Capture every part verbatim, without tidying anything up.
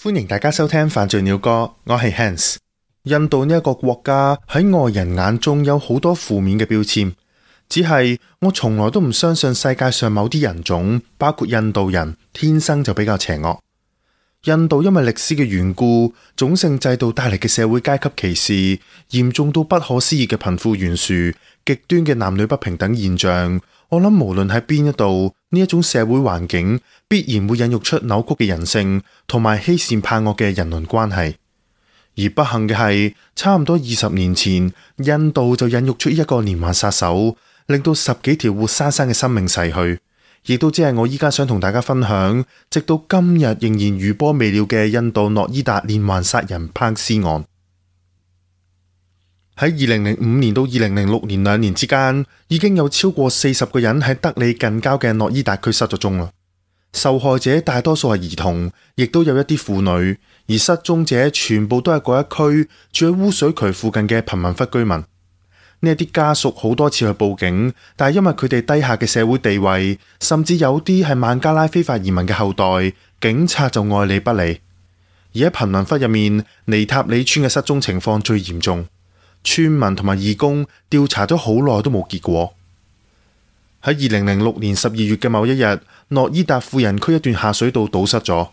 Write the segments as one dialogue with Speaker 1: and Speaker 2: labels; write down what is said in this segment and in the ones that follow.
Speaker 1: 歡迎大家收聽犯罪鳥歌，我係 Hans。印度呢一個國家喺外人眼中有好多負面嘅標籤，只係我從來都唔相信世界上某啲人種，包括印度人，天生就比較邪惡。印度因為歷史嘅緣故，種姓制度帶嚟嘅社會階級歧視，嚴重到不可思議嘅貧富懸殊，極端嘅男女不平等現象，我諗無論喺邊一度，呢一種社會環境必然會孕育出扭曲嘅人性，同埋欺善怕惡嘅人倫關係。而不幸嘅係，差唔多二十年前，印度就孕育出一個連環殺手，令到十幾條活生生嘅生命逝去。亦都只係我依家想同大家分享，直到今日仍然餘波未了嘅印度諾伊達連環殺人烹屍案。喺二零零五年到二零零六年兩年之間，已經有超過四十個人喺德里近郊嘅諾伊達區失咗蹤啦。受害者大多數係兒童，亦都有一啲婦女，而失蹤者全部都係嗰一區住喺污水渠附近嘅貧民窟居民。呢一啲家屬好多次去報警，但係因為佢哋低下嘅社會地位，甚至有啲係孟加拉非法移民嘅後代，警察就愛理不理。而喺貧民窟入面，尼塔里村嘅失蹤情況最嚴重，村民同埋義工調查咗好耐都冇結果。喺二零零六年十二月嘅某一日，諾伊達富人區一段下水道堵塞咗，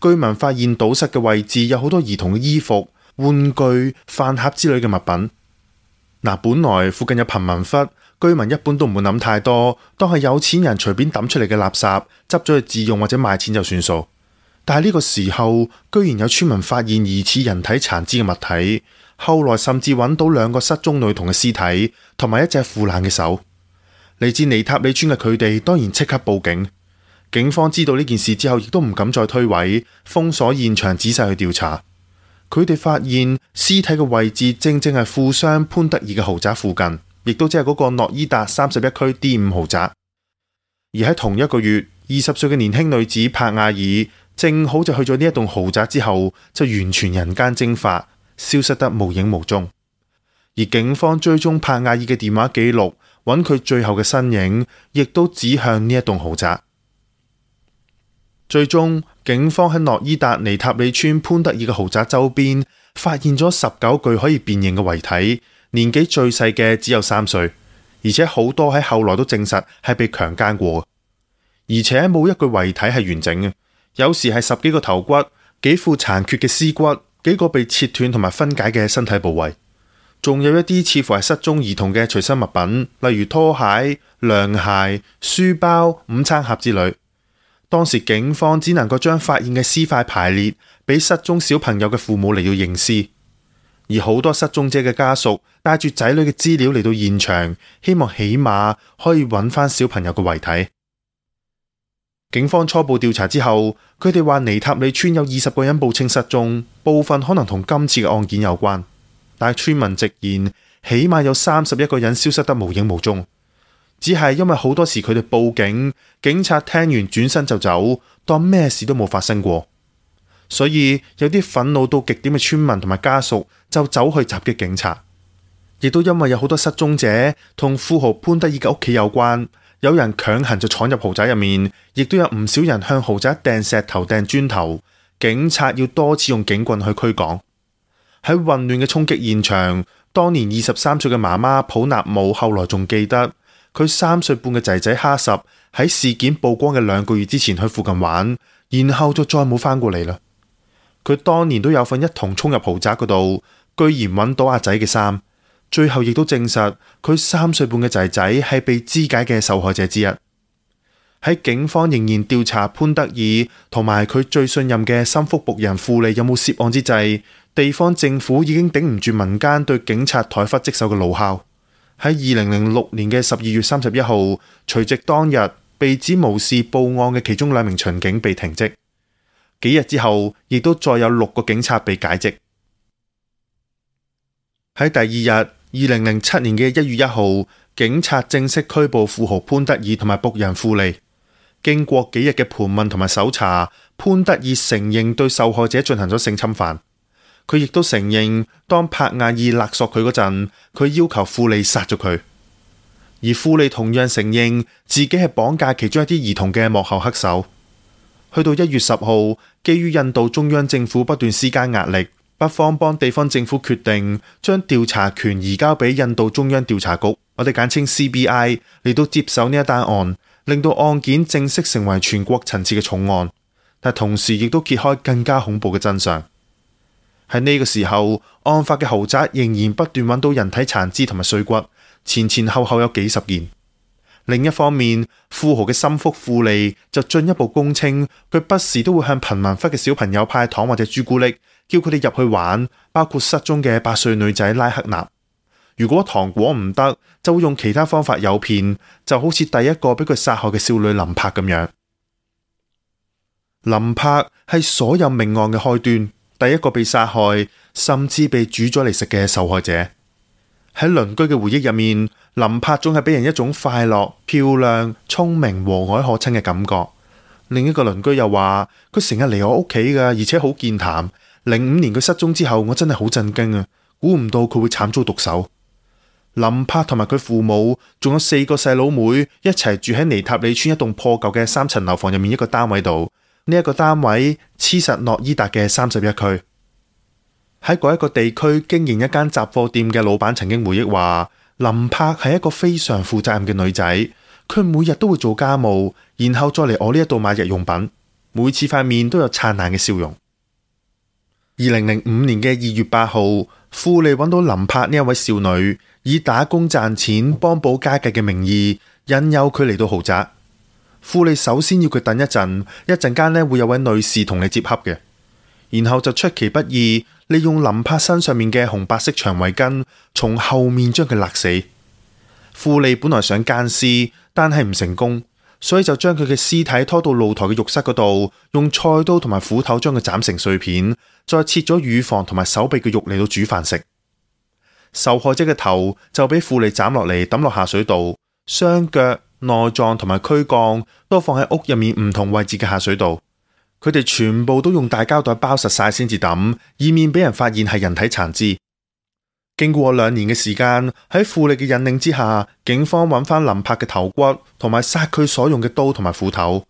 Speaker 1: 居民發現堵塞嘅位置有好多兒童嘅衣服、玩具、飯盒之類嘅物品。嗱，本來附近有貧民窟，居民一般都唔會諗太多，當係有錢人隨便抌出嚟嘅垃圾，執咗去自用或者賣錢就算數。但係呢個時候，居然有村民發現疑似人體殘肢嘅物體，後來甚至揾到兩個失蹤女童嘅屍體，同埋一隻腐爛嘅手。嚟自尼塔里村嘅佢哋當然即刻報警，警方知道呢件事之後，亦都唔敢再推諉，封鎖現場，仔細去調查。佢哋發現屍體嘅位置正正係富商潘德爾嘅豪宅附近，亦都即係嗰個諾伊達三十一區 D 五豪宅。而喺同一個月，二十歲嘅年輕女子帕亞爾正好就去咗呢一棟豪宅之後，就完全人間蒸發，消失得無影無蹤。而警方追蹤帕亞爾嘅電話記錄，揾佢最後嘅身影，亦都指向呢一棟豪宅。最終，警方喺諾伊達尼塔里村潘德爾嘅豪宅周邊發現咗十九具可以辨認嘅遺體，年紀最細嘅只有三歲，而且好多喺後來都證實係被強姦過，而且冇一具遺體係完整嘅，有時係十幾個頭骨、幾副殘缺嘅屍骨、幾個被切斷同埋分解嘅身體部位，仲有一啲似乎係失蹤兒童嘅隨身物品，例如拖鞋、涼鞋、書包、午餐盒之類。當時警方只能夠將發現嘅屍塊排列，俾失蹤小朋友嘅父母嚟到認屍，而好多失蹤者嘅家屬帶住仔女嘅資料嚟到現場，希望起碼可以揾翻小朋友嘅遺體。警方初步調查之後，佢哋話尼塔里村有二十個人報稱失蹤，部分可能同今次嘅案件有關，但係村民直言，起碼有三十一個人消失得無影無蹤。只係因為好多時佢哋報警，警察聽完轉身就走，當咩事都冇發生過。所以有啲憤怒到極點嘅村民同埋家屬就走去襲擊警察。亦都因為有好多失蹤者同富豪潘德爾嘅屋企有關，有人強行就闖入豪宅入面，亦都有唔少人向豪宅掟石頭掟磚頭，警察要多次用警棍去驅趕。喺混亂嘅衝擊現場，當年二十三歲嘅媽媽普納姆後來仲記得，佢三歲半嘅仔仔哈什喺事件曝光嘅兩個月之前去附近玩，然後就再冇返過嚟啦。佢當年都有份一同衝入豪宅嗰度，居然揾到阿仔嘅衫，最後亦都證實佢三歲半嘅仔仔係被肢解嘅受害者之一。喺警方仍然調查潘德爾同埋佢最信任嘅心腹僕人庫利有冇涉案之際，地方政府已經頂唔住民間對警察怠忽職守嘅怒吼。喺二零零六年嘅十二月三十一號，除夕當日，被指無視報案嘅其中兩名巡警被停職。幾日之後，亦都再有六個警察被解職。喺第二日，二零零七年嘅一月一號，警察正式拘捕富豪潘德爾同埋僕人庫利。經過幾日嘅盤問同埋搜查，潘德爾承認對受害者進行咗性侵犯。佢亦都承認，當帕亞爾勒索佢嗰陣，佢要求庫利殺咗佢。而庫利同樣承認自己係綁架其中一啲兒童嘅幕後黑手。去到一月十號，基於印度中央政府不斷施加壓力，北方邦地方政府決定將調查權移交俾印度中央調查局，我哋簡稱 C B I 嚟到接手呢一單案，令到案件正式成為全國層次嘅重案。但同時亦都揭開更加恐怖嘅真相。喺呢個時候，案發嘅豪宅仍然不斷揾到人體殘肢同埋碎骨，前前後後有幾十件。另一方面，富豪嘅心腹富利就進一步供稱，佢不時都會向貧民窟嘅小朋友派糖或者朱古力，叫佢哋入去玩，包括失蹤嘅八歲女仔拉克納。如果糖果唔得，就會用其他方法誘騙，就好似第一個俾佢殺害嘅少女林柏咁樣。林柏係所有命案嘅開端，第一個被殺害，甚至被煮咗嚟食嘅受害者。喺鄰居嘅回憶入面，林柏總係俾人一種快樂、漂亮、聰明、和藹可親嘅感覺。另一個鄰居又話，佢成日嚟我屋企噶，而且好健談。零五年佢失蹤之後，我真係好震驚啊！估唔到佢會慘遭毒手。林柏同埋佢父母仲有四個細佬妹一齊住喺尼塔里村一棟破舊嘅三層樓房入面一個單位度。呢、這、一個單位黐實諾伊達嘅三十一區。喺嗰一個地區經營一間雜貨店嘅老闆曾經回憶話，林柏係一個非常負責任嘅女仔，佢每日都會做家務，然後再嚟我呢一度買日用品，每次塊面都有燦爛嘅笑容。二零零五年嘅二月八號，富利揾到林柏呢一位少女，以打工賺錢幫補家計嘅名義引誘佢嚟到豪宅。富利首先要佢等一陣，一陣間呢會有位女士同你接洽嘅，然後就出其不意利用林柏身上面嘅紅白色長圍巾，從後面將佢勒死。富利本來想姦屍，但係唔成功，所以就將佢嘅屍體拖到露台嘅浴室嗰度，用菜刀同埋斧頭將佢斬成碎片，再切咗乳房同埋手臂嘅肉嚟到煮飯食。受害者嘅頭就俾富利斬落嚟抌落下水道，雙腳、內臟同埋軀幹都放喺屋入面唔同位置嘅下水道，佢哋全部都用大膠袋包實晒先至抌，以免俾人發現係人體殘肢。經過兩年嘅時間，喺富利嘅引領之下，警方揾翻林柏嘅頭骨同埋殺佢所用嘅刀同埋斧頭，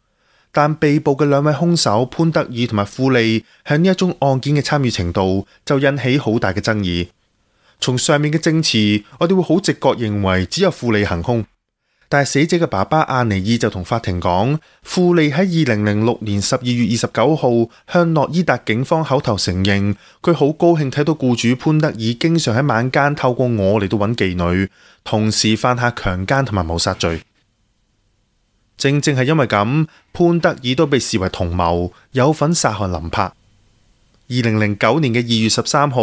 Speaker 1: 但被捕嘅兩位兇手潘德爾同埋富利喺呢一宗案件嘅參與程度就引起好大嘅爭議。從上面嘅證詞，我哋會好直覺認為只有富利行兇。但係死者嘅爸爸阿尼爾就同法庭講，富利喺二零零六年十二月二十九號向諾伊達警方口頭承認，佢好高興睇到僱主潘德爾經常喺晚間透過我嚟到揾妓女，同時犯下強姦同埋謀殺罪。正正係因為咁，潘德爾都被視為同謀，有份殺害林柏。二零零九年嘅二月十三號，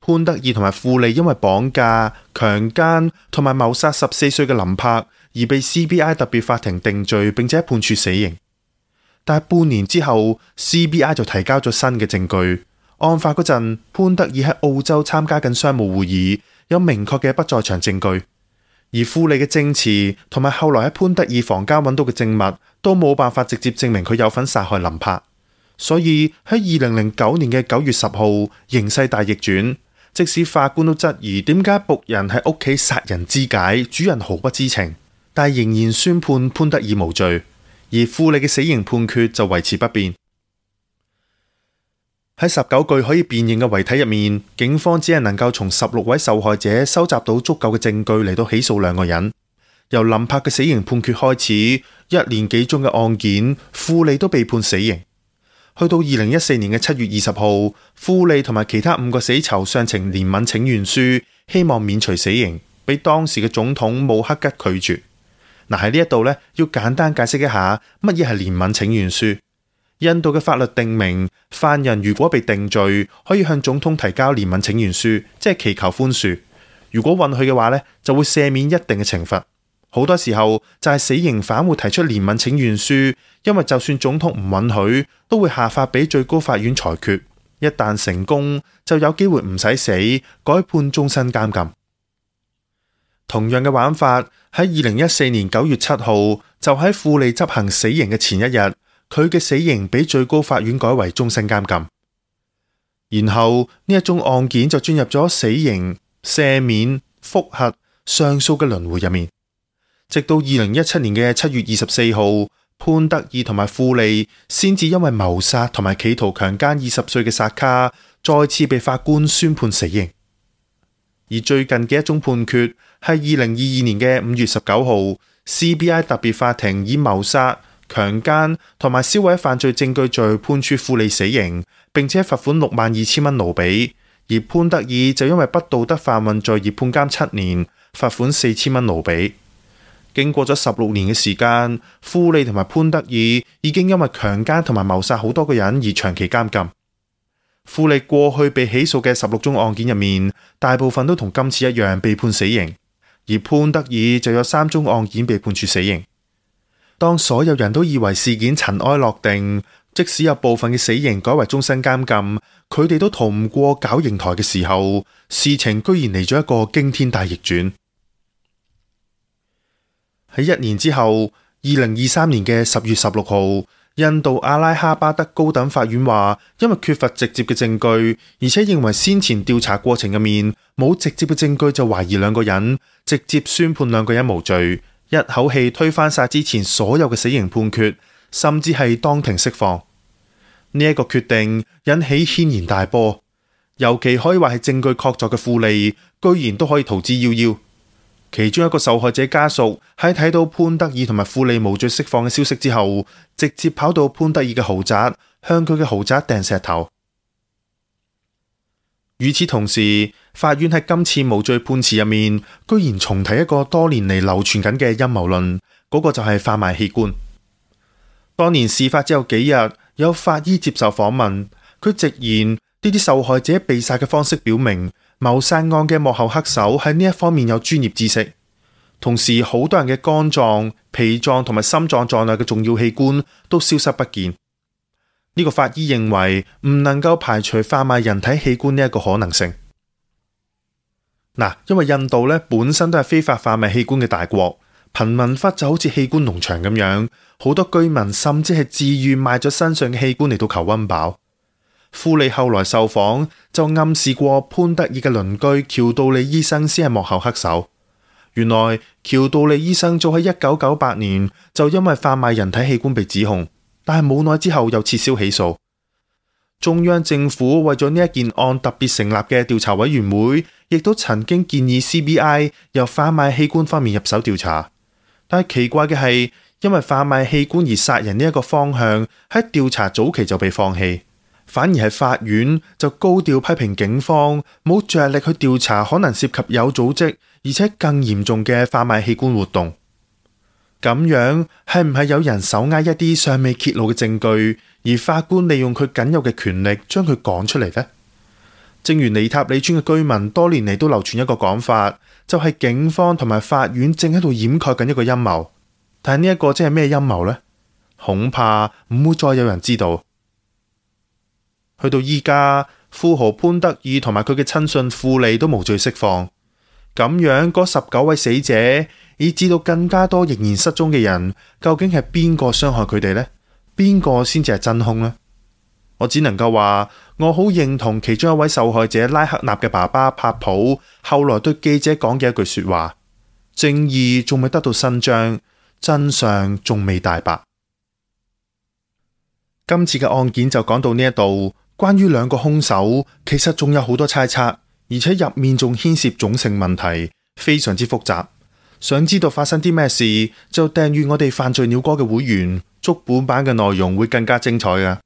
Speaker 1: 潘德爾同埋富利因為綁架、強姦同埋謀殺十四歲嘅林柏，而被 C B I 特別法庭定罪，並且判處死刑。但係半年之後 ，C B I 就提交咗新嘅證據。案發嗰陣，潘德爾喺澳洲參加緊商務會議，有明確嘅不在場證據。而富利嘅證詞同埋後來喺潘德爾房間揾到嘅證物，都冇辦法直接證明佢有份殺害林柏。所以喺二零零九年嘅九月十號，形勢大逆轉。即使法官都質疑點解僕人喺屋企殺人肢解，主人毫不知情，但仍然宣判潘德爾無罪，而富利嘅死刑判決就維持不變。喺十九具可以辨認嘅遺體入面，警方只係能夠從十六位受害者收集到足夠嘅證據嚟到起訴兩個人。由林柏嘅死刑判決開始，一年幾宗嘅案件，富利都被判死刑。去到二零一四年嘅七月二十號，富利同埋其他五個死囚上呈憐憫請願書，希望免除死刑，俾當時嘅總統穆克吉拒絕。嗱，喺呢一度呢，要簡單解釋一下乜嘢係憐憫請願書。印度嘅法律定明，犯人如果被定罪，可以向總統提交憐憫請願書，即係祈求寬恕。如果允許嘅話呢，就會赦免一定嘅懲罰。好多時候就係死刑犯會提出憐憫請願書，因為就算總統唔允許，都會下發俾最高法院裁決。一旦成功，就有機會唔使死，改判終身監禁。同樣嘅玩法喺二零一四年九月七號，就喺富利執行死刑嘅前一日，佢嘅死刑俾最高法院改為終身監禁。然後呢一宗案件就進入咗死刑、赦免、複核、上訴嘅輪迴入面。直到二零一七年嘅七月二十四號，潘德爾同埋富利先至因為謀殺同埋企圖強姦二十歲嘅薩卡，再次被法官宣判死刑。而最近嘅一宗判決係二零二二年嘅五月十九號 C B I 特別法庭以謀殺、強姦同埋銷毀犯罪證據罪判處富利死刑，並且罰款六萬二千蚊盧比。而潘德爾就因為不道德販運罪而判監七年，罰款四千蚊盧比。經過咗十六年嘅時間，富利同埋潘德爾已經因為強姦同埋謀殺好多個人而長期監禁。富利過去被起訴嘅十六宗案件入面，大部分都同今次一樣被判死刑，而潘德爾就有三宗案件被判處死刑。當所有人都以為事件塵埃落定，即使有部分嘅死刑改為終身監禁，佢哋都逃唔過絞刑台嘅時候，事情居然嚟咗一個驚天大逆轉。喺一年之後，二零二三年嘅十月十六號，印度阿拉哈巴德高等法院話，因為缺乏直接嘅證據，而且認為先前調查過程入面冇直接嘅證據，就懷疑兩個人，直接宣判兩個人無罪，一口氣推翻晒之前所有嘅死刑判決，甚至係當庭釋放。呢、這、一個決定引起軒然大波，尤其可以話係證據確鑿嘅富利，居然都可以逃之夭夭。其中一個受害者家屬喺睇到潘德爾同埋富利無罪釋放嘅消息之後，直接跑到潘德爾嘅豪宅，向佢嘅豪宅掟石頭。與此同時，法院喺今次無罪判詞入面，居然重提一個多年嚟流傳緊嘅陰謀論，嗰、那個就係販賣器官。當年事發之後幾日，有法醫接受訪問，佢直言呢啲受害者被殺嘅方式表明，謀殺案嘅幕後黑手喺呢一方面有專業知識，同時好多人嘅肝臟、脾臟同埋心臟在內嘅重要器官都消失不見。呢個法醫認為唔能夠排除販賣人體器官呢一個可能性。嗱，因為印度咧本身都係非法販賣器官嘅大國，貧民窟就好似器官農場咁樣，好多居民甚至係自願賣咗身上嘅器官嚟到求溫飽。富利後來受訪就暗示過潘德爾嘅鄰居喬道理醫生先係幕後黑手。原來喬道理醫生早喺一九九八年就因為販賣人體器官被指控，但係冇耐之後又撤銷起訴。中央政府為咗呢一件案特別成立嘅調查委員會，亦都曾經建議 C B I 由販賣器官方面入手調查。但係奇怪嘅係，因為販賣器官而殺人呢一個方向喺調查早期就被放棄。反而係法院就高調批評警方冇着力去調查可能涉及有組織而且更嚴重嘅販賣器官活動。咁樣係唔係有人手握一啲尚未揭露嘅證據，而法官利用佢僅有嘅權力將佢講出嚟呢？正如尼塔里村嘅居民多年嚟都流傳一個講法，就係警方同埋法院正喺度掩蓋緊一個陰謀。但係呢一個即係咩陰謀呢？恐怕唔會再有人知道。去到依家，富豪潘德爾同埋佢嘅親信富利都無罪釋放，咁樣嗰十九位死者，以至到更加多仍然失蹤嘅人，究竟係邊個傷害佢哋呢？邊個先至係真兇呢？我只能夠話，我好認同其中一位受害者拉克納嘅爸爸帕普後來對記者講嘅一句說話：正義仲未得到伸張，真相仲未大白。今次嘅案件就講到呢一度。關於兩個兇手，其實仲有好多猜測，而且入面仲牽涉種姓問題，非常之複雜。想知道發生啲咩事，就訂閱我哋犯罪鳥歌嘅會員，足本版嘅內容會更加精彩㗎。